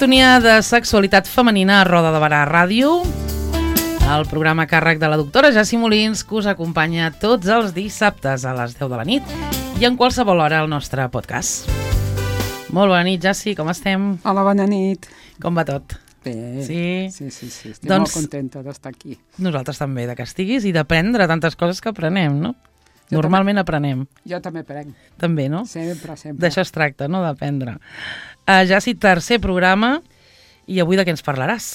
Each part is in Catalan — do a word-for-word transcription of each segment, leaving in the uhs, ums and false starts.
sintonia de sexualitat femenina a Roda de Barà Ràdio, el programa a càrrec de la doctora Jassi Molins, que us acompanya tots els dissabtes a les deu de la nit i en qualsevol hora al nostre podcast. Molt bona nit, Jassi, com estem? Hola, bona nit. Com va tot? Bé, sí, sí, sí, sí. estic doncs, molt contenta d'estar aquí. Nosaltres també, de que estiguis i d'aprendre tantes coses que aprenem, no? Jo Normalment també, aprenem. Jo també aprenc. També, no? Sempre, sempre. D'això es tracta, no? D'aprendre. Uh, Jassi, tercer programa, i avui de què ens parlaràs?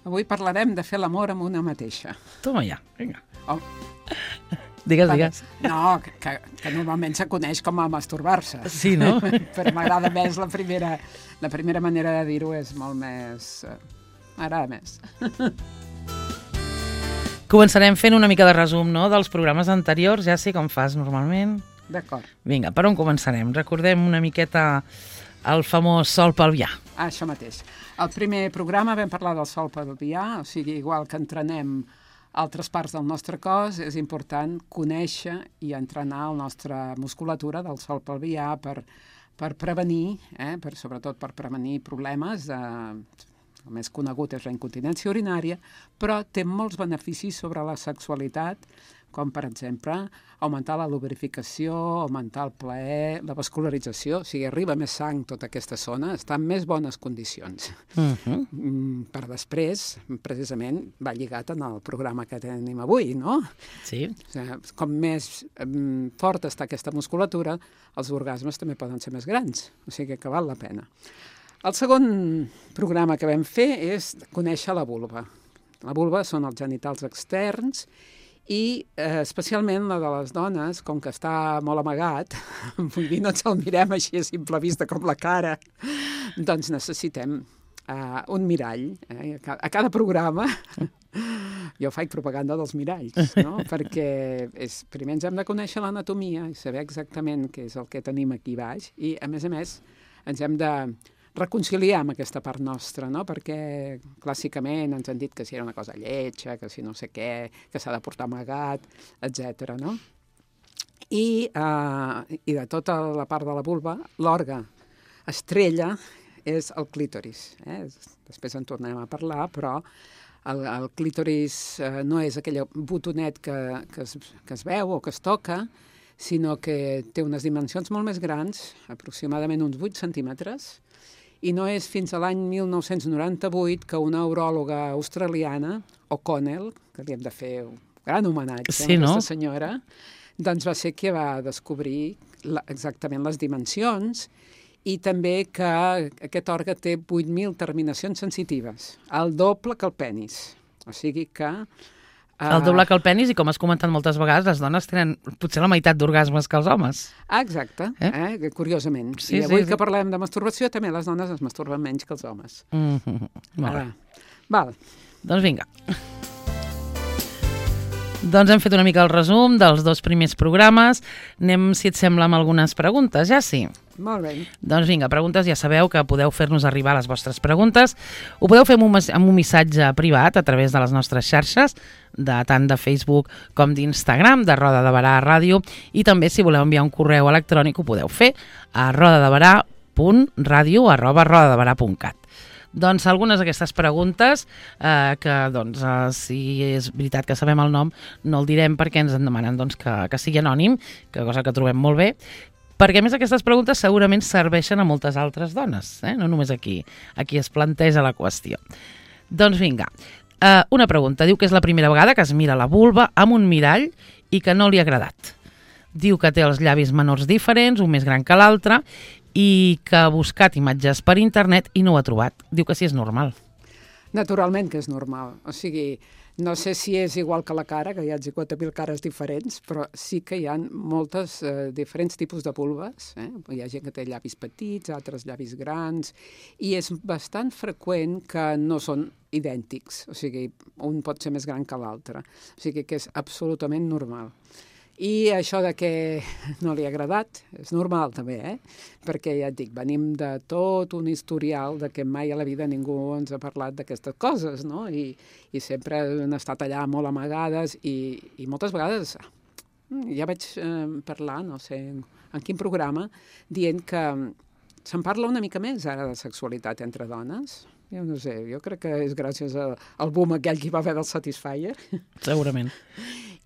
Avui parlarem de fer l'amor amb una mateixa. Toma ja, vinga. Oh. Digues, digues. No, que, que normalment se coneix com a masturbar-se. Sí, no? Però m'agrada més la primera, la primera manera de dir-ho, és molt més... M'agrada més. Començarem fent una mica de resum, no?, dels programes anteriors, ja sé com fas normalment. D'acord. Vinga, per on començarem? Recordem una miqueta el famós sol pelvià. Ah, això mateix. Al primer programa vam parlar del sol pelvià, o sigui, igual que entrenem altres parts del nostre cos, és important conèixer i entrenar la nostra musculatura del sol pelvià per, per prevenir, eh, per, sobretot per prevenir problemes de... El més conegut és la incontinència urinària, però té molts beneficis sobre la sexualitat, com, per exemple, augmentar la lubrificació, augmentar el plaer, la vascularització, o sigui, arriba més sang tota aquesta zona, està en més bones condicions. Uh-huh. Mm, per després, precisament, va lligat en el programa que tenim avui, no? Sí. O sigui, com més um, forta està aquesta musculatura, els orgasmes també poden ser més grans, o sigui que val la pena. El segon programa que vam fer és conèixer la vulva. La vulva són els genitals externs i eh, especialment la de les dones, com que està molt amagat, vull dir, no ens el mirem així a simple vista com la cara, doncs necessitem eh, un mirall. Eh? A cada programa jo faig propaganda dels miralls, no? Perquè és, primer ens hem de conèixer l'anatomia i saber exactament què és el que tenim aquí baix i, a més a més, ens hem de reconciliar amb aquesta part nostra, no? Perquè clàssicament ens han dit que si era una cosa lletja, que si no sé què, que s'ha de portar amagat, etcètera, no? I, eh, I de tota la part de la vulva, l'òrgan estrella és el clítoris. Eh? Després en tornem a parlar, però el, el clítoris eh, no és aquell botonet que, que, es, que es veu o que es toca, sinó que té unes dimensions molt més grans, aproximadament uns vuit centímetres, i no és fins a l'any mil nou-cents noranta-vuit que una uròloga australiana, O'Connell, que li hem de fer un gran homenatge sí, a aquesta no? senyora, doncs va ser que va descobrir la, exactament les dimensions i també que aquest òrgan té vuit mil terminacions sensitives, el doble que el penis. O sigui que... El doble que el penis, i com has comentat moltes vegades, les dones tenen potser la meitat d'orgasmes que els homes. Ah, exacte, eh? Eh? Curiosament. Sí, I avui sí, sí. que parlem de masturbació, també les dones es masturben menys que els homes. Mm-hmm. Molt bé. Ah, val. Doncs vinga. Doncs hem fet una mica el resum dels dos primers programes. Anem, si et sembla, amb algunes preguntes, ja sí? Molt bé. Doncs vinga, preguntes, ja sabeu que podeu fer-nos arribar les vostres preguntes. Ho podeu fer amb un, amb un missatge privat a través de les nostres xarxes, de tant de Facebook com d'Instagram, de Roda de Barà Ràdio, i també si voleu enviar un correu electrònic ho podeu fer a rodadebarà punt ràdio arroba rodadebarà punt cat. Doncs algunes d'aquestes preguntes, eh, que doncs, eh, si és veritat que sabem el nom, no el direm perquè ens en demanen doncs, que, que sigui anònim, que cosa que trobem molt bé, perquè a més aquestes preguntes segurament serveixen a moltes altres dones, eh? No només aquí, aquí es planteja la qüestió. Doncs vinga, eh, una pregunta, diu que és la primera vegada que es mira la vulva amb un mirall i que no li ha agradat. Diu que té els llavis menors diferents, un més gran que l'altre, i que ha buscat imatges per internet i no ho ha trobat. Diu que sí és normal. Naturalment que és normal. O sigui, no sé si és igual que la cara, que hi ha cinquanta mil cares diferents, però sí que hi ha moltes eh, diferents tipus de vulves. Eh? Hi ha gent que té llavis petits, altres llavis grans, i és bastant freqüent que no són idèntics. O sigui, un pot ser més gran que l'altre. O sigui que és absolutament normal. I això de que no li ha agradat és normal també, eh? Perquè ja et dic, venim de tot un historial de que mai a la vida ningú ens ha parlat d'aquestes coses, no? I, i sempre han estat allà molt amagades i, i moltes vegades ja vaig eh, parlar, no sé en quin programa, dient que se'n parla una mica més ara de sexualitat entre dones. Jo no sé, jo crec que és gràcies a, al boom aquell que hi va haver del Satisfyer. Segurament.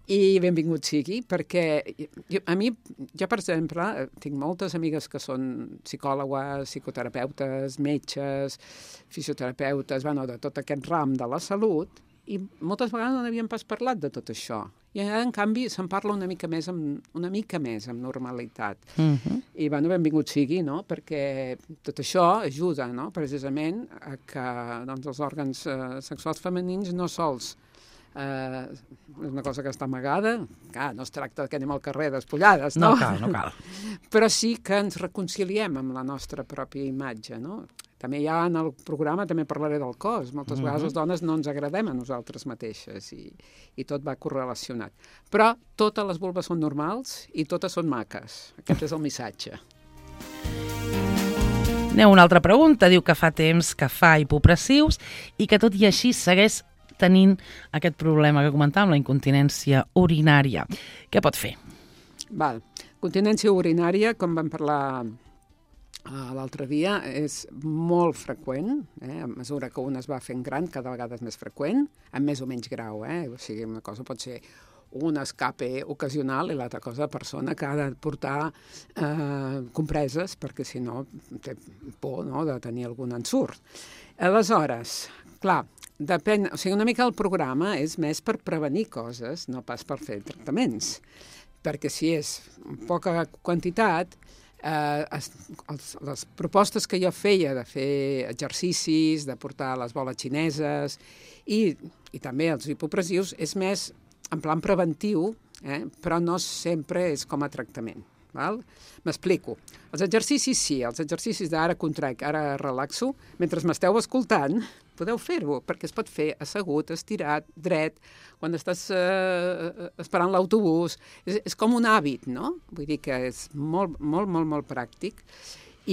I benvingut sigui, perquè jo, a mi, jo per exemple, tinc moltes amigues que són psicòlogues, psicoterapeutes, metges, fisioterapeutes, bueno, de tot aquest ram de la salut, i moltes vegades no n'havien pas parlat de tot això. I ara, en canvi, se'n parla una mica més amb, una mica més amb normalitat. Uh-huh. I, bueno, benvingut sigui, no?, perquè tot això ajuda, no?, precisament a que doncs, els òrgans eh, sexuals femenins no sols Uh, és una cosa que està amagada, clar, no es tracta que anem al carrer despullades, no? No cal, no cal. Però sí que ens reconciliem amb la nostra pròpia imatge, no? També hi ha en el programa, també parlaré del cos, moltes uh-huh. vegades les dones no ens agradem a nosaltres mateixes i, i tot va correlacionat. Però totes les vulves són normals i totes són maques. Aquest és el missatge. Aneu, una altra pregunta. Diu que fa temps que fa hipopressius i que tot i així segueix tenint aquest problema que comentàvem, la incontinència urinària. Què pot fer? Val. Continència urinària, com vam parlar uh, l'altre dia, és molt freqüent, eh? A mesura que un es va fent gran, cada vegada és més freqüent, amb més o menys grau, eh? O sigui, una cosa pot ser un escape ocasional i l'altra cosa persona que ha de portar eh, compreses perquè si no té por, no?, de tenir algun ensurt. Aleshores, clar, depèn, o sigui, una mica el programa és més per prevenir coses, no pas per fer tractaments. Perquè si és poca quantitat, eh, es, els, les propostes que jo feia de fer exercicis, de portar les boles xineses i, i també els hipopressius, és més en plan preventiu, eh, però no sempre és com a tractament. Val? M'explico. Els exercicis sí, els exercicis d'ara contrac, ara relaxo, mentre m'esteu escoltant, podeu fer-ho, perquè es pot fer assegut, estirat, dret, quan estàs eh, esperant l'autobús. És, és com un hàbit, no? Vull dir que és molt, molt, molt, molt pràctic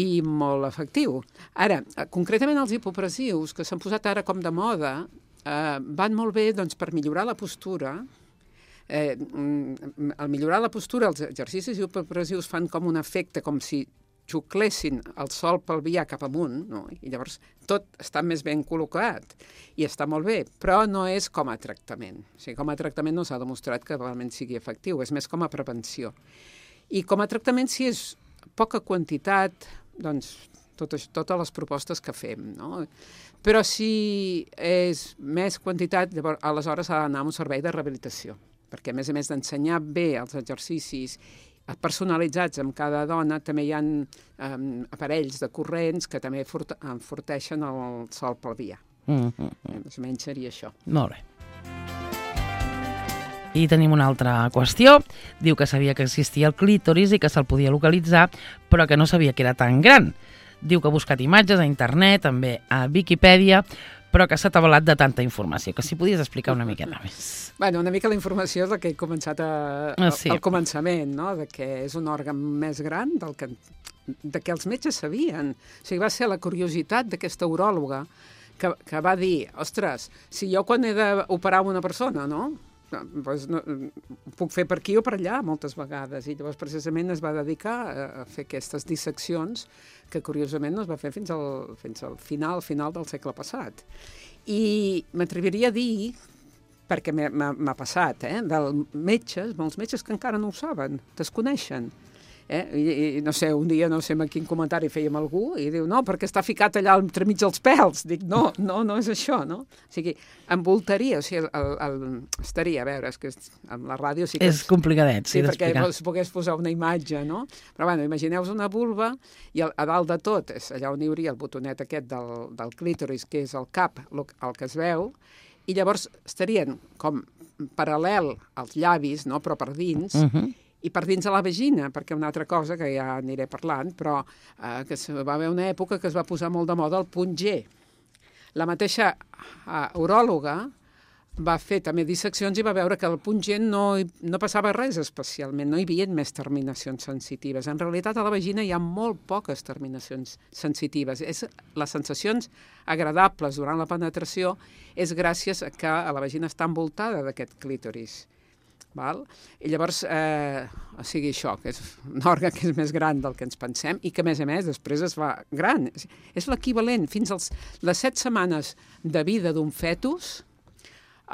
i molt efectiu. Ara, concretament els hipopressius, que s'han posat ara com de moda, eh, van molt bé doncs, per millorar la postura. Eh, al millorar la postura, els exercicis hipopressius fan com un efecte, com si xuclessin el sol pelvià cap amunt, no? I llavors tot està més ben col·locat i està molt bé, però no és com a tractament. O sigui, com a tractament no s'ha demostrat que realment sigui efectiu, és més com a prevenció. I com a tractament, si és poca quantitat, doncs totes, totes les propostes que fem, no? Però si és més quantitat, llavors, aleshores ha d'anar a un servei de rehabilitació, perquè a més a més d'ensenyar bé els exercicis personalitzats amb cada dona, també hi ha um, aparells de corrents que també forte enforteixen el sol pelvià. Mm -hmm. Més o menys seria això. Molt bé. I tenim una altra qüestió. Diu que sabia que existia el clítoris i que se'l podia localitzar, però que no sabia que era tan gran. Diu que ha buscat imatges a internet, també a Viquipèdia, però que s'ha atabalat de tanta informació, que si podies explicar una miqueta més. Bueno, una mica la informació és la que he començat a, a, sí. al començament, no?, de que és un òrgan més gran del que, de que els metges sabien. O sigui, va ser la curiositat d'aquesta uròloga que, que va dir, ostres, si jo quan he d'operar una persona, no?, doncs no, ho puc fer per aquí o per allà moltes vegades, i llavors precisament es va dedicar a, a fer aquestes disseccions que curiosament no es va fer fins al, fins al final, final del segle passat. I m'atreviria a dir, perquè m'ha passat, eh, dels metges, molts metges que encara no ho saben, desconeixen. Eh? I, i no sé, un dia no sé en quin comentari fèiem algú i diu, no, perquè està ficat allà entremig dels pèls. Dic, no, no, no és això, no? O sigui, envoltaria, o sigui, el, el, estaria, a veure, és que amb la ràdio sí que... És complicadet, sí, sí perquè d'explicar. es pogués posar una imatge, no? Però, bueno, imagineu-vos una vulva i a, a dalt de tot, és allà on hi hauria el botonet aquest del, del clítoris, que és el cap, el, el que es veu, i llavors estarien com paral·lel als llavis, no?, però per dins, uh -huh. i per dins de la vagina, perquè una altra cosa que ja aniré parlant, però eh, que va haver una època que es va posar molt de moda el punt G. La mateixa eh, uròloga va fer també disseccions i va veure que al punt G no, no passava res especialment, no hi havia més terminacions sensitives. En realitat a la vagina hi ha molt poques terminacions sensitives. És, les sensacions agradables durant la penetració és gràcies a que la vagina està envoltada d'aquest clítoris. val? I llavors, eh, o sigui, això, que és un òrgan que és més gran del que ens pensem i que, a més a més, després es fa gran. És, és l'equivalent. Fins als les set setmanes de vida d'un fetus,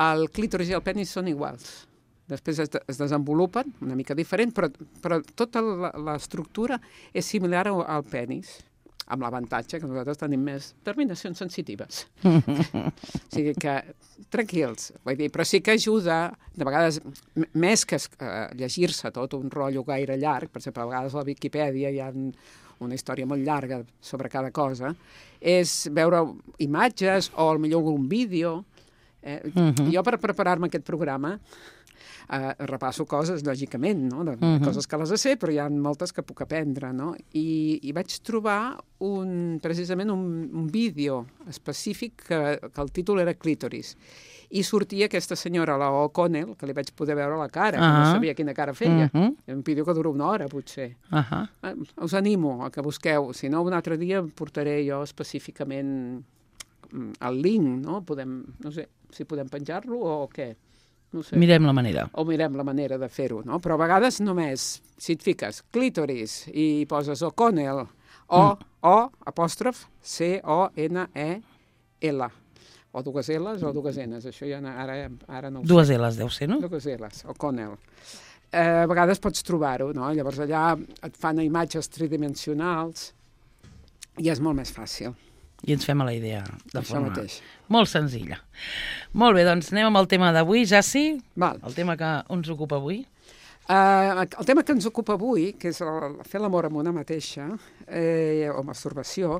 el clítoris i el penis són iguals. Després es, de, es desenvolupen, una mica diferent, però, però tota l'estructura és similar al, al penis, amb l'avantatge que nosaltres tenim més terminacions sensitives. O sigui que, tranquils, vull dir, però sí que ajuda, de vegades, més que uh, llegir-se tot un rotllo gaire llarg, per exemple, a vegades a la Viquipèdia hi ha una història molt llarga sobre cada cosa, és veure imatges o potser un vídeo. Eh? Uh-huh. Jo, per preparar-me aquest programa, Uh, repasso coses, lògicament, no? de, uh-huh. coses que les sé, però hi ha moltes que puc aprendre, no? I, i vaig trobar un, precisament un, un vídeo específic que, que el títol era Clítoris. I sortia aquesta senyora, la O'Connell, que li vaig poder veure la cara, uh-huh. que no sabia quina cara feia. Uh-huh. Un vídeo que dura una hora, potser. Uh-huh. Uh, us animo a que busqueu. Si no, un altre dia portaré jo específicament el link, no? Podem, no sé si podem penjar-lo o què. No sé. Mirem la manera. O mirem la manera de fer-ho, no? Però a vegades només, si et fiques clítoris i poses O'Connell, O, mm. O, apòstrof, C O N E L. O dues L's o dues N's, això ja ara, ara no ho dues sé. Dues L's deu ser, no? Dues L's, O'Connell. Eh, a vegades pots trobar-ho, no? Llavors allà et fan imatges tridimensionals i és molt més fàcil. I ens fem a la idea de Això forma mateix. Molt senzilla. Molt bé, doncs anem amb el tema d'avui, Jaci. Val. El tema que ens ocupa avui. Uh, el tema que ens ocupa avui, que és el, fer l'amor amb una mateixa, eh, o masturbació,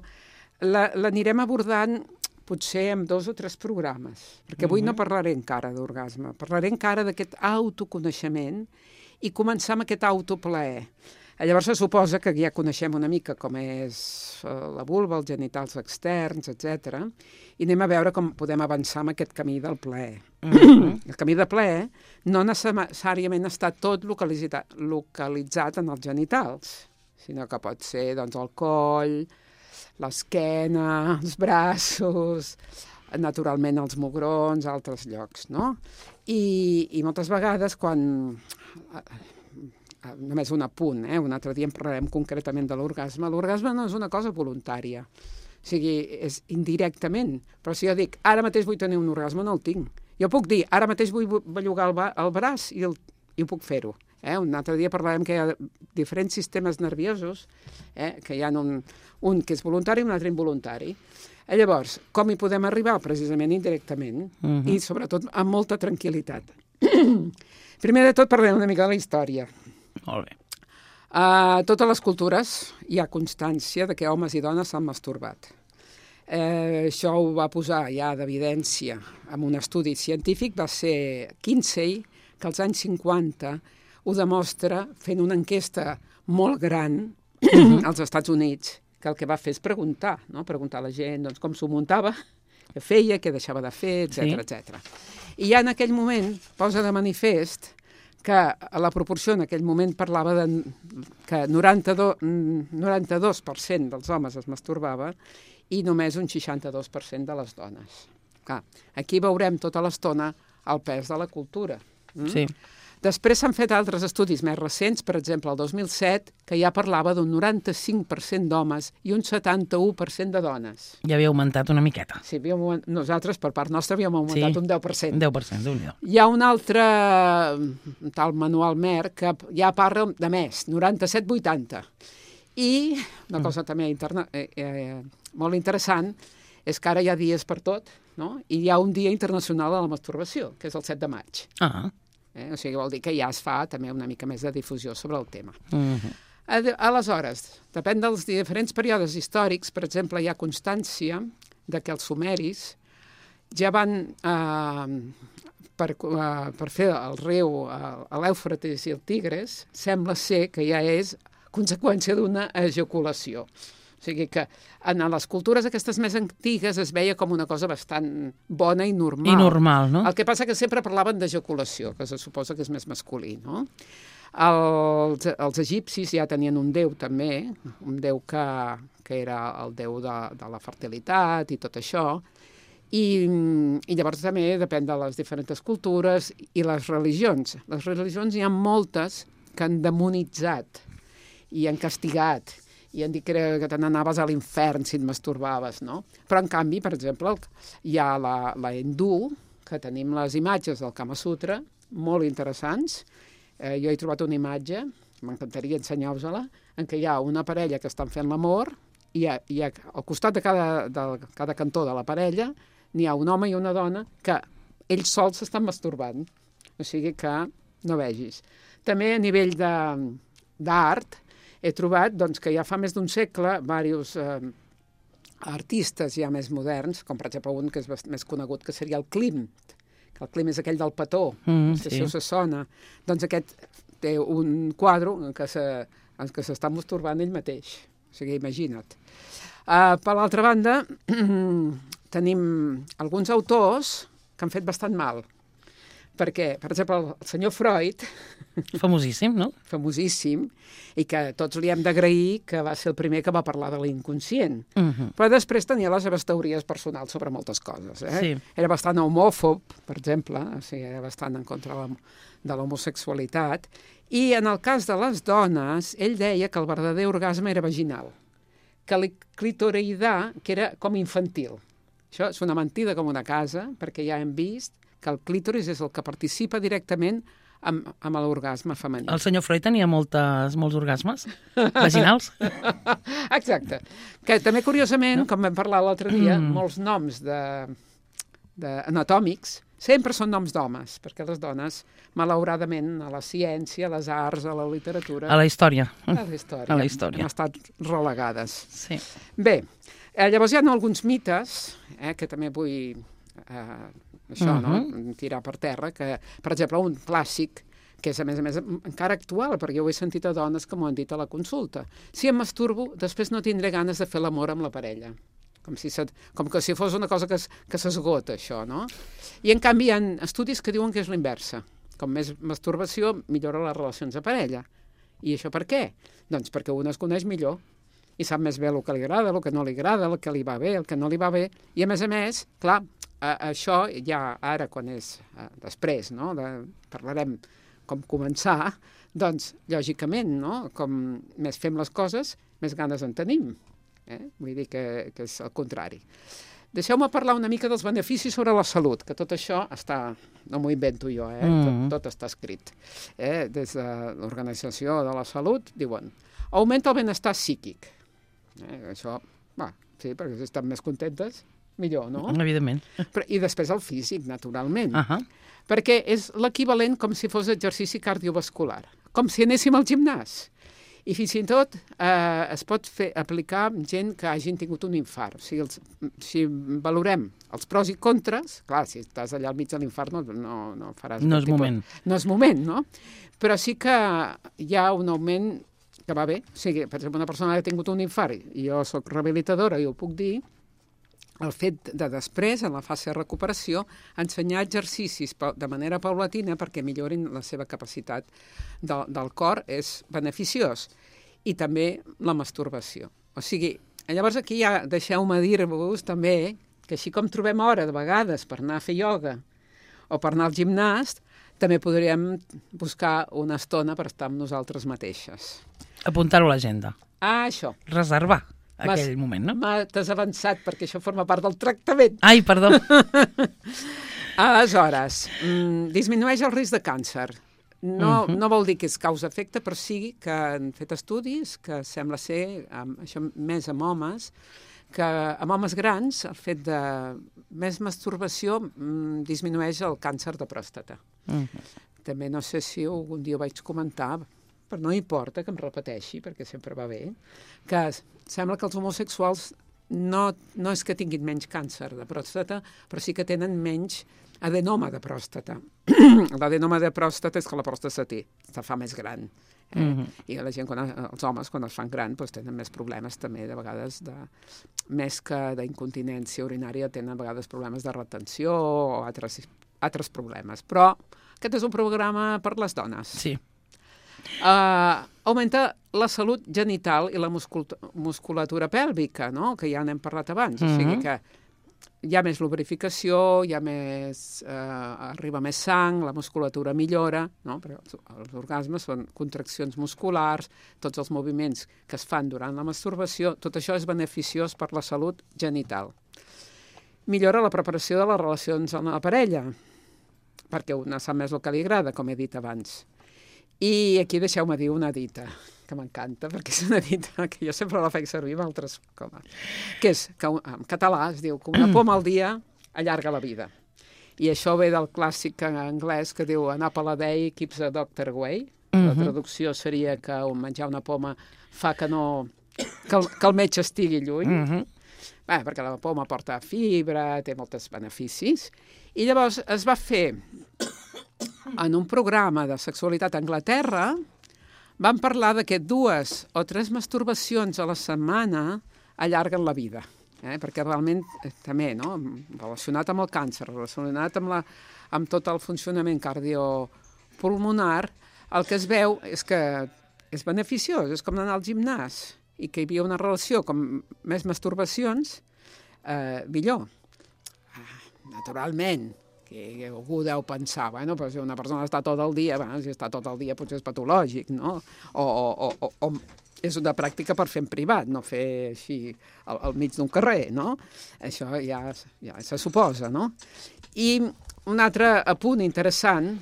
l'anirem abordant potser amb dos o tres programes, perquè avui uh-huh. no parlaré encara d'orgasme, parlaré encara d'aquest autoconeixement i començar amb aquest autoplaer. Llavors se suposa que ja coneixem una mica com és la vulva, els genitals externs, etcètera, i anem a veure com podem avançar en aquest camí del plaer. Mm-hmm. El camí de plaer no necessàriament està tot localitzat, localitzat en els genitals, sinó que pot ser doncs, el coll, l'esquena, els braços, naturalment els mugrons, altres llocs, no? I, i moltes vegades quan... només un apunt, eh? Un altre dia en parlarem concretament de l'orgasme. L'orgasme no és una cosa voluntària, o sigui, és indirectament. Però si jo dic, ara mateix vull tenir un orgasme, no el tinc. Jo puc dir, ara mateix vull bellugar el, el braç i, el, i ho puc fer-ho. Eh? Un altre dia parlarem que hi ha diferents sistemes nerviosos, eh? Que hi ha un, un que és voluntari i un altre involuntari. Eh, llavors, com hi podem arribar? Precisament indirectament, uh-huh. i sobretot amb molta tranquil·litat. Primer de tot parlem una mica de la història. Molt bé. A totes les cultures hi ha constància de que homes i dones s'han masturbat. Eh, això ho va posar ja d'evidència en un estudi científic, va ser Kinsey, que als anys cinquanta ho demostra fent una enquesta molt gran uh-huh. als Estats Units, que el que va fer és preguntar, no? Preguntar a la gent doncs, com s'ho muntava, què feia, què deixava de fer, etcètera, sí. etcètera. I ja en aquell moment posa de manifest que la proporció en aquell moment parlava de que noranta-dos per cent dels homes es masturbava i només un seixanta-dos per cent de les dones. Clar, aquí veurem tota l'estona el pes de la cultura. Mm? Sí. Després s'han fet altres estudis més recents, per exemple, el dos mil set, que ja parlava d'un noranta-cinc per cent d'homes i un setanta-u per cent de dones. Ja havia augmentat una miqueta. Sí, havíem, nosaltres, per part nostra, havíem augmentat sí, un deu per cent. deu per cent, déu-n'hi-do. Hi ha un altre, un tal Manuel Mer, que ja parla de més, noranta-set vuitanta. I una cosa mm. també interna, eh, eh, molt interessant és que ara hi ha dies per tot, no? I hi ha un dia internacional de la masturbació, que és el set de maig. Ah. Eh? O sigui, vol dir que ja es fa també una mica més de difusió sobre el tema. Uh-huh. Aleshores, depèn dels diferents períodes històrics, per exemple, hi ha constància de que els sumeris ja van, eh, per, eh, per fer el riu, eh, l'Èufrates i el Tigres, sembla ser que ja és conseqüència d'una ejaculació. O sigui que en les cultures aquestes més antigues es veia com una cosa bastant bona i normal. I normal, no? El que passa que sempre parlaven d'ejaculació, que se suposa que és més masculí, no? Els, els egipcis ja tenien un déu també, un déu que, que era el déu de, de la fertilitat i tot això, I, I llavors també depèn de les diferents cultures i les religions. Les religions hi ha moltes que han demonitzat i han castigat i han dit que, era, que te n'anaves a l'infern si et masturbaves, no? Però, en canvi, per exemple, hi ha la, la hindú, que tenim les imatges del Kama Sutra, molt interessants. Eh, jo he trobat una imatge, m'encantaria ensenyar-vos-la, en què hi ha una parella que estan fent l'amor i, ha, i ha, al costat de cada, de cada cantó de la parella n'hi ha un home i una dona que ells sols s'estan masturbant. O sigui que no vegis. També a nivell d'art he trobat doncs, que ja fa més d'un segle diversos eh, artistes ja més moderns, com per exemple un que és més conegut, que seria el Klimt, que el Klimt és aquell del petó, mm, si sí. Això se sona. Doncs aquest té un quadre en què se, en què s'està masturbant ell mateix. O sigui, imagina't. Uh, per l'altra banda, tenim alguns autors que han fet bastant mal. Perquè, per exemple, el senyor Freud... Famosíssim, no? Famosíssim, i que tots li hem d'agrair que va ser el primer que va parlar de l'inconscient. Uh-huh. Però després tenia les seves teories personals sobre moltes coses. Eh? Sí. Era bastant homòfob, per exemple, o sigui, era bastant en contra de l'homosexualitat. I en el cas de les dones, ell deia que el verdader orgasme era vaginal, que el clitoridà, que era com infantil. Això és una mentida com una casa, perquè ja hem vist que el clítoris és el que participa directament amb, amb l'orgasme femení. El senyor Freud tenia moltes, molts orgasmes vaginals? Exacte. Que també, curiosament, no? Com vam parlar l'altre dia, mm. molts noms de, de anatòmics sempre són noms d'homes, perquè les dones, malauradament, a la ciència, a les arts, a la literatura... A la història. A la història. A la història. Han estat relegades. Sí. Bé, eh, llavors hi ha alguns mites, eh, que també vull... Eh, això, uh-huh. no? Tirar per terra, que, per exemple, un clàssic, que és, a més a més, encara actual, perquè jo ho he sentit a dones que m'ho han dit a la consulta. Si em masturbo, després no tindré ganes de fer l'amor amb la parella. Com, si se, com que si fos una cosa que, que s'esgota, això, no? I, en canvi, hi ha estudis que diuen que és l'inversa. Com més masturbació, millora les relacions de parella. I això per què? Doncs perquè un es coneix millor i sap més bé el que li agrada, el que no li agrada, el que li va bé, el que no li va bé. I, a més a més, clar, Uh, això ja ara, quan és uh, després, no? De, parlarem com començar, doncs, lògicament, no? Com més fem les coses, més ganes en tenim. Eh? Vull dir que, que és el contrari. Deixeu-me parlar una mica dels beneficis sobre la salut, que tot això està... No m'ho invento jo, eh? Mm. Tot, tot està escrit. Eh? Des de l'Organització de la Salut, diuen, augmenta el benestar psíquic. Eh? Això, va, sí, perquè si estan més contentes... millor, no? Evidentment. Però, i després el físic, naturalment. Uh-huh. Perquè és l'equivalent com si fos exercici cardiovascular, com si anéssim al gimnàs. I fins i tot eh, es pot fer, aplicar gent que hagin tingut un infart. O sigui, els, si valorem els pros i contres, clar, si estàs allà al mig de l'infart no, no, no faràs... No és tipus, moment. No és moment, no? Però sí que hi ha un augment que va bé. O sigui, per exemple, una persona que ha tingut un infart, i jo soc rehabilitadora i ho puc dir, el fet de després, en la fase de recuperació, ensenyar exercicis de manera paulatina perquè millorin la seva capacitat de, del cor és beneficiós. I també la masturbació. O sigui, llavors aquí ja deixeu-me dir-vos també que així com trobem hora de vegades per anar a fer ioga o per anar al gimnàs, també podríem buscar una estona per estar amb nosaltres mateixes. Apuntar-ho a l'agenda. Ah, això. Reservar. Aquell moment, no? T'has avançat perquè això forma part del tractament. Ai, perdó. Aleshores, mm, disminueix el risc de càncer. No, uh-huh. no vol dir que és causa-efecte, però sí que han fet estudis que sembla ser, amb, això més amb homes, que amb homes grans el fet de més masturbació mm, disminueix el càncer de pròstata. Uh-huh. També no sé si algun dia ho vaig comentar, però no importa que em repeteixi, perquè sempre va bé, que sembla que els homosexuals no, no és que tinguin menys càncer de pròstata, però sí que tenen menys adenoma de pròstata. L'adenoma de pròstata és que la pròstata té, se fa més gran. Eh? Mm-hmm. I la gent, quan, els homes, quan es fan gran, doncs tenen més problemes també, de vegades, de, més que d'incontinència urinària, tenen a vegades problemes de retenció o altres, altres problemes. Però aquest és un programa per les dones. Sí. Uh, augmenta la salut genital i la muscul- musculatura pèlvica, no? Que ja n'hem parlat abans. Mm-hmm. O sigui que hi ha més lubrificació, hi ha més, eh, arriba més sang, la musculatura millora, no? Però els orgasmes són contraccions musculars, tots els moviments que es fan durant la masturbació, tot això és beneficiós per la salut genital. Millora la preparació de les relacions amb la parella, perquè una sap més el que li agrada, com he dit abans. I aquí deixeu-me dir una dita, que m'encanta, perquè és una dita que jo sempre la faig servir amb altres coses, que és, que en català es diu que una poma al dia allarga la vida. I això ve del clàssic en anglès que diu an apple a day keeps a doctor away. La traducció seria que menjar una poma fa que no que el, que el metge estigui lluny. Uh -huh. Bé, perquè la poma porta fibra, té molts beneficis. I llavors es va fer en un programa de sexualitat a Anglaterra, van parlar de que dues o tres masturbacions a la setmana allarguen la vida, eh? Perquè realment eh, també, no? Relacionat amb el càncer, relacionat amb, la, amb tot el funcionament cardiopulmonar, el que es veu és que és beneficiós, és com anar al gimnàs, i que hi havia una relació com més masturbacions, eh, millor. Naturalment, que algú deu pensar, bueno, però si una persona està tot el dia, bueno, si està tot el dia potser és patològic, no? O, o, o, o és una pràctica per fer en privat, no fer així al, al mig d'un carrer, no? Això ja, ja se suposa, no? I un altre apunt interessant,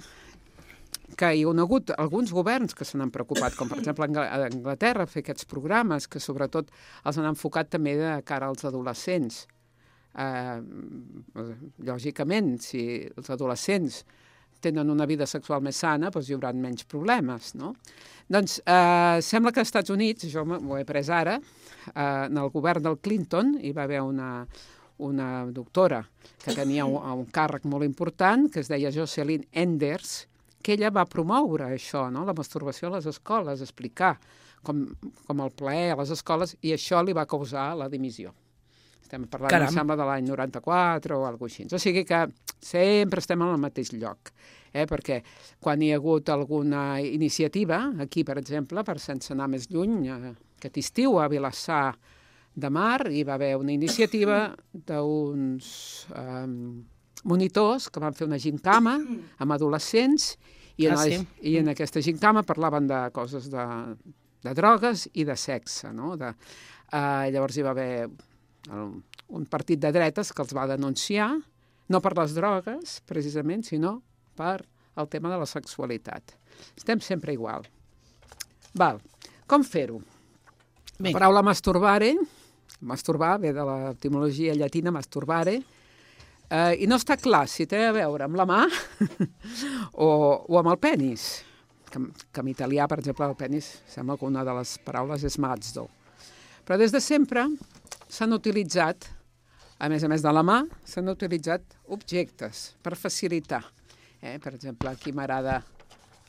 que hi ha hagut alguns governs que se n'han preocupat, com per exemple a Anglaterra, fer aquests programes que sobretot els han enfocat també de cara als adolescents. Uh, lògicament, si els adolescents tenen una vida sexual més sana, doncs hi haurà menys problemes, no? Doncs uh, sembla que als Estats Units, jo m'ho he pres ara, uh, en el govern del Clinton hi va haver una, una doctora que tenia un, un càrrec molt important, que es deia Jocelyn Enders, que ella va promoure això, no? La masturbació a les escoles, explicar com, com el plaer a les escoles, i això li va causar la dimissió. Estem parlant, em sembla, de l'any noranta-quatre o alguna cosa així. O sigui que sempre estem en el mateix lloc, eh? Perquè quan hi ha hagut alguna iniciativa, aquí, per exemple, per sense anar més lluny, eh, aquest estiu a Vilassar de Mar hi va haver una iniciativa d'uns eh, monitors que van fer una gincama amb adolescents i en, ah, sí? i en aquesta gincama parlaven de coses de, de drogues i de sexe, no? De, eh, llavors hi va haver un partit de dretes que els va denunciar, no per les drogues, precisament, sinó per el tema de la sexualitat. Estem sempre igual. Val. Com fer-ho? La paraula masturbare, masturbar, ve de l'etimologia llatina masturbare, eh, i no està clar si té a veure amb la mà o, o amb el penis, que, que en italià, per exemple, el penis sembla que una de les paraules és mazzo. Però des de sempre s'han utilitzat, a més a més de la mà, s'han utilitzat objectes per facilitar. Eh? Per exemple, aquí m'agrada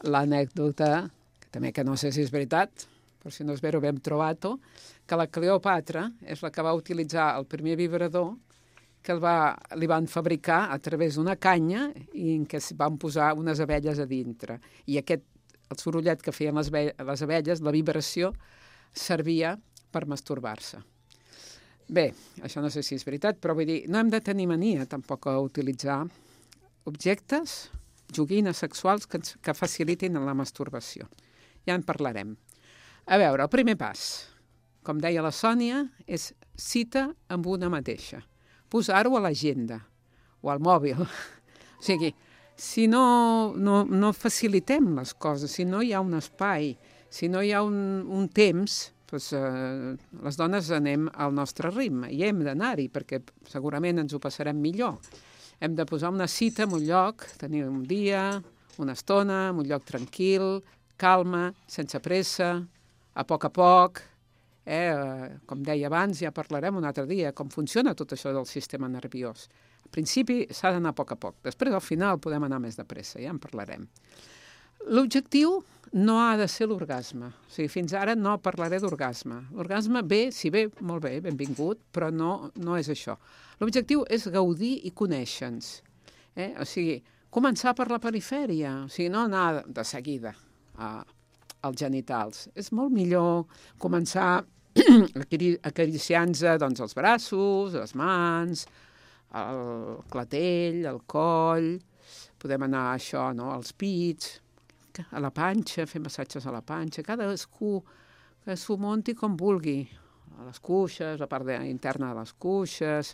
l'anècdota, que també que no sé si és veritat, però si no és vera ho hem trobat, que la Cleopatra és la que va utilitzar el primer vibrador que el va, li van fabricar a través d'una canya i en què es van posar unes abelles a dintre. I aquest, el sorollet que feien les, les abelles, la vibració, servia per masturbar-se. Bé, això no sé si és veritat, però vull dir, no hem de tenir mania tampoc a utilitzar objectes, joguines sexuals que, que facilitin la masturbació. Ja en parlarem. A veure, el primer pas, com deia la Sònia, és cita amb una mateixa. Posar-ho a l'agenda o al mòbil. O sigui, si no, no, no facilitem les coses, si no hi ha un espai, si no hi ha un, un temps, doncs, eh, les dones anem al nostre ritme i hem d'anar-hi perquè segurament ens ho passarem millor. Hem de posar una cita en un lloc, tenir un dia, una estona, en un lloc tranquil, calma, sense pressa, a poc a poc. Eh? Com deia abans, ja parlarem un altre dia, com funciona tot això del sistema nerviós. Al principi s'ha d'anar a poc a poc, després al final podem anar més de pressa, ja en parlarem. L'objectiu no ha de ser l'orgasme. O sigui, fins ara no parlaré d'orgasme. L'orgasme ve, si ve, molt bé, benvingut, però no, no és això. L'objectiu és gaudir i conèixer-nos. Eh? O sigui, començar per la perifèria, o sigui, no anar de seguida a, als genitals. És molt millor començar acariciant-se doncs, els braços, les mans, el clatell, el coll, podem anar a això, no? Als pits, a la panxa, fer massatges a la panxa, cadascú que s'ho munti com vulgui, a les cuixes, la part de, interna de les cuixes,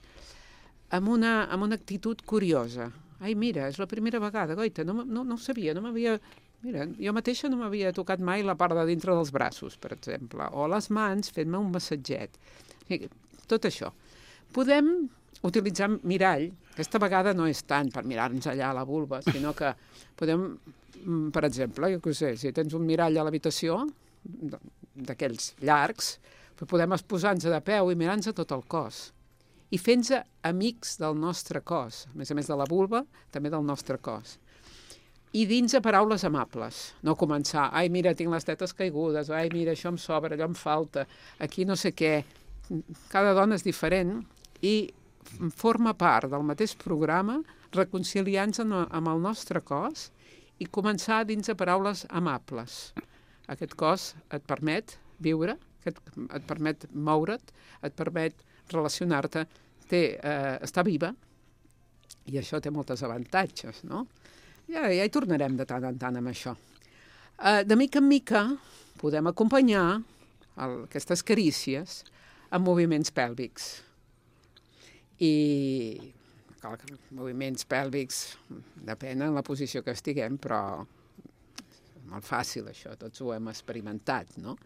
amb una, amb una actitud curiosa. Ai, mira, és la primera vegada, goita, no, no, no ho sabia, no m'havia... Mira, jo mateixa no m'havia tocat mai la part de dintre dels braços, per exemple, o les mans fent-me un massatget. Tot això. Podem utilitzar mirall, aquesta vegada no és tant per mirar-nos allà a la vulva, sinó que podem, per exemple, jo què sé, si tens un mirall a l'habitació, d'aquells llargs, podem posar-nos de peu i mirar-nos tot el cos. I fer-nos amics del nostre cos, a més a més de la vulva, també del nostre cos. I dins de paraules amables, no començar, ai, mira, tinc les tetes caigudes, ai, mira, això em sobra, allò em falta, aquí no sé què. Cada dona és diferent i forma part del mateix programa reconciliant-se amb el nostre cos i començar dins de paraules amables. Aquest cos et permet viure, et, et permet moure't, et permet relacionar-te, té, eh, està viva, i això té molts avantatges, no? Ja, ja hi tornarem de tant en tant amb això. Uh, de mica en mica podem acompanyar el, aquestes carícies amb moviments pèlvics. I clar, moviments pèlvics depèn de la posició que estiguem, però és molt fàcil això, tots ho hem experimentat, no?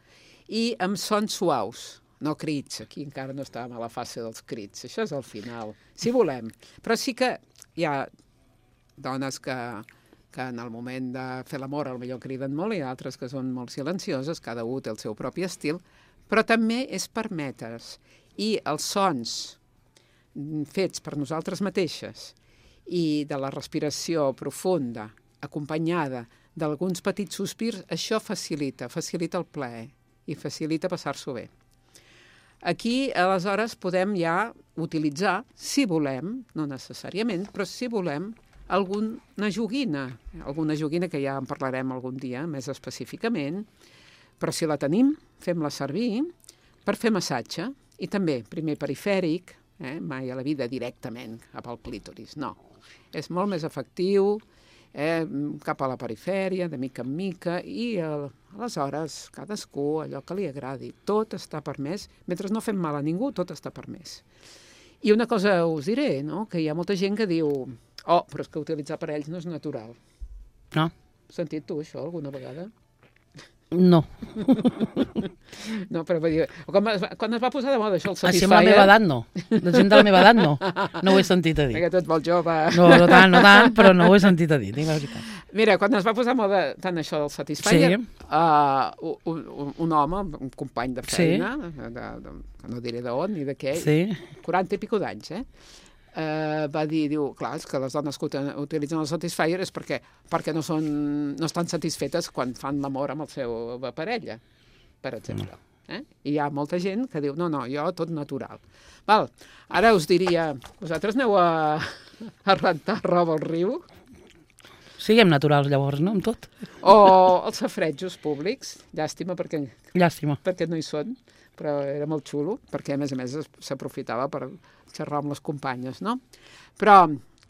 I amb sons suaus, no crits, aquí encara no estàvem a la fase dels crits, això és al final, si volem. Però sí que hi ha dones que, que en el moment de fer l'amor potser criden molt i altres que són molt silencioses, cada un té el seu propi estil, però també és permetre's. I els sons fets per nosaltres mateixes i de la respiració profunda, acompanyada d'alguns petits sospirs, això facilita, facilita el plaer i facilita passar-s'ho bé. Aquí, aleshores, podem ja utilitzar, si volem, no necessàriament, però si volem, alguna joguina, alguna joguina que ja en parlarem algun dia més específicament, però si la tenim, fem-la servir per fer massatge i també, primer perifèric, eh, mai a la vida directament cap al clítoris, no. És molt més efectiu, eh, cap a la perifèria, de mica en mica, i el, aleshores cadascú allò que li agradi. Tot està permès, mentre no fem mal a ningú, tot està permès. I una cosa us diré, no? Que hi ha molta gent que diu oh, però és que utilitzar parells no és natural. No. Has sentit tu això alguna vegada? No. No, però vull dir, quan, quan es va posar de moda això, el Satisfyer... Així amb la meva edat no. La gent de la meva edat no. No ho he sentit a dir. Perquè tu ets molt jove. No, no tant, no tant, però no ho he sentit a dir, dic la veritat. Mira, quan es va posar de moda tant això del Satisfyer, sí. uh, un, un, un home, un company de feina, sí. de, de, de, no diré d'on ni de què, sí. quaranta i pico d'anys, eh? Uh, va dir, diu, clar, és que les dones que utilitzen el Satisfyer és perquè, perquè no, són, no estan satisfetes quan fan l'amor amb la seva parella, per exemple. Eh? I hi ha molta gent que diu, no, no, jo tot natural. Val, ara us diria, vosaltres aneu a, a rentar roba al riu? Siguem naturals llavors, no, amb tot? O els safretjos públics, llàstima perquè, llàstima. perquè no hi són, però era molt xulo, perquè a més a més s'aprofitava per xerrar amb les companyes, no? Però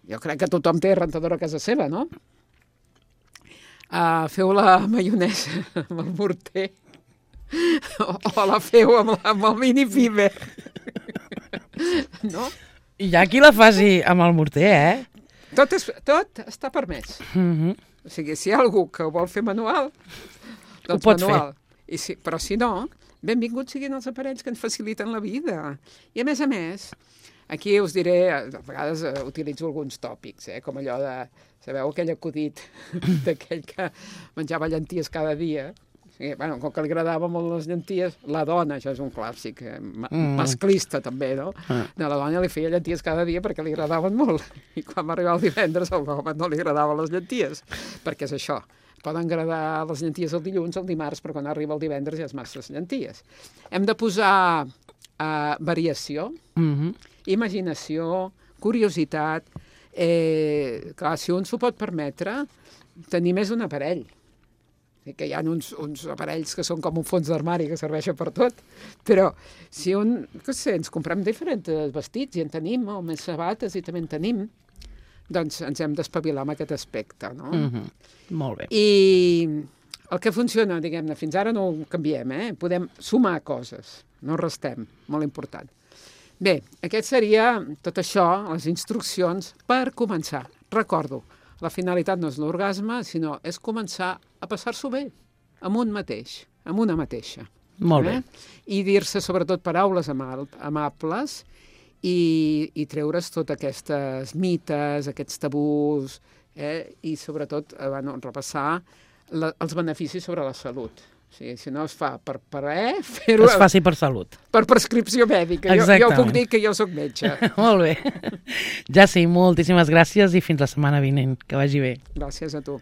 jo crec que tothom té rentadora a casa seva, no? Uh, feu la maionesa amb el morter o, o la feu amb, la, amb el mini-fiber, no? I hi ha qui la faci amb el morter, eh? Tot, és, tot està permès. Mm-hmm. O sigui, si hi ha algú que ho vol fer manual, doncs ho pot manual. fer. I si, però si no, benvinguts siguin els aparells que ens faciliten la vida. I a més a més, aquí us diré, a vegades uh, utilitzo alguns tòpics, eh, com allò de, sabeu, aquell acudit d'aquell que menjava llenties cada dia. Sí, bueno, com que li agradaven molt les llenties, la dona, això és un clàssic, eh, mm. masclista també, no? Mm. De la dona li feia llenties cada dia perquè li agradaven molt. I quan va arribar el divendres, al home no li agradaven les llenties, perquè és això. Poden agradar les llenties el dilluns, el dimarts, però quan arriba el divendres ja és massa llenties. Hem de posar uh, variació, mm-hmm. imaginació, curiositat. Eh, clar, si un s'ho pot permetre, tenir més d'un aparell. que hi ha uns, uns aparells que són com un fons d'armari que serveixen per tot, però si un, què sé, ens comprem diferents vestits i en tenim, o més sabates i també en tenim, doncs ens hem d'espavilar amb aquest aspecte, no? Mm-hmm. Molt bé. I el que funciona, diguem-ne, fins ara no ho canviem, eh? Podem sumar coses, no restem, molt important. Bé, aquest seria tot això, les instruccions per començar. Recordo, la finalitat no és l'orgasme, sinó és començar a passar-s'ho bé, amb un mateix, amb una mateixa. Molt bé. Eh? I dir-se sobretot paraules ama- amables i, i treure's totes aquestes mites, aquests tabús, eh? I sobretot eh, bueno, repassar la, els beneficis sobre la salut. O sigui, si no es fa per plaer, fer-ho... Es faci per salut. Per prescripció mèdica. Jo, jo puc dir que jo sóc metge. Molt bé. Ja sí, moltíssimes gràcies i fins la setmana vinent. Que vagi bé. Gràcies a tu.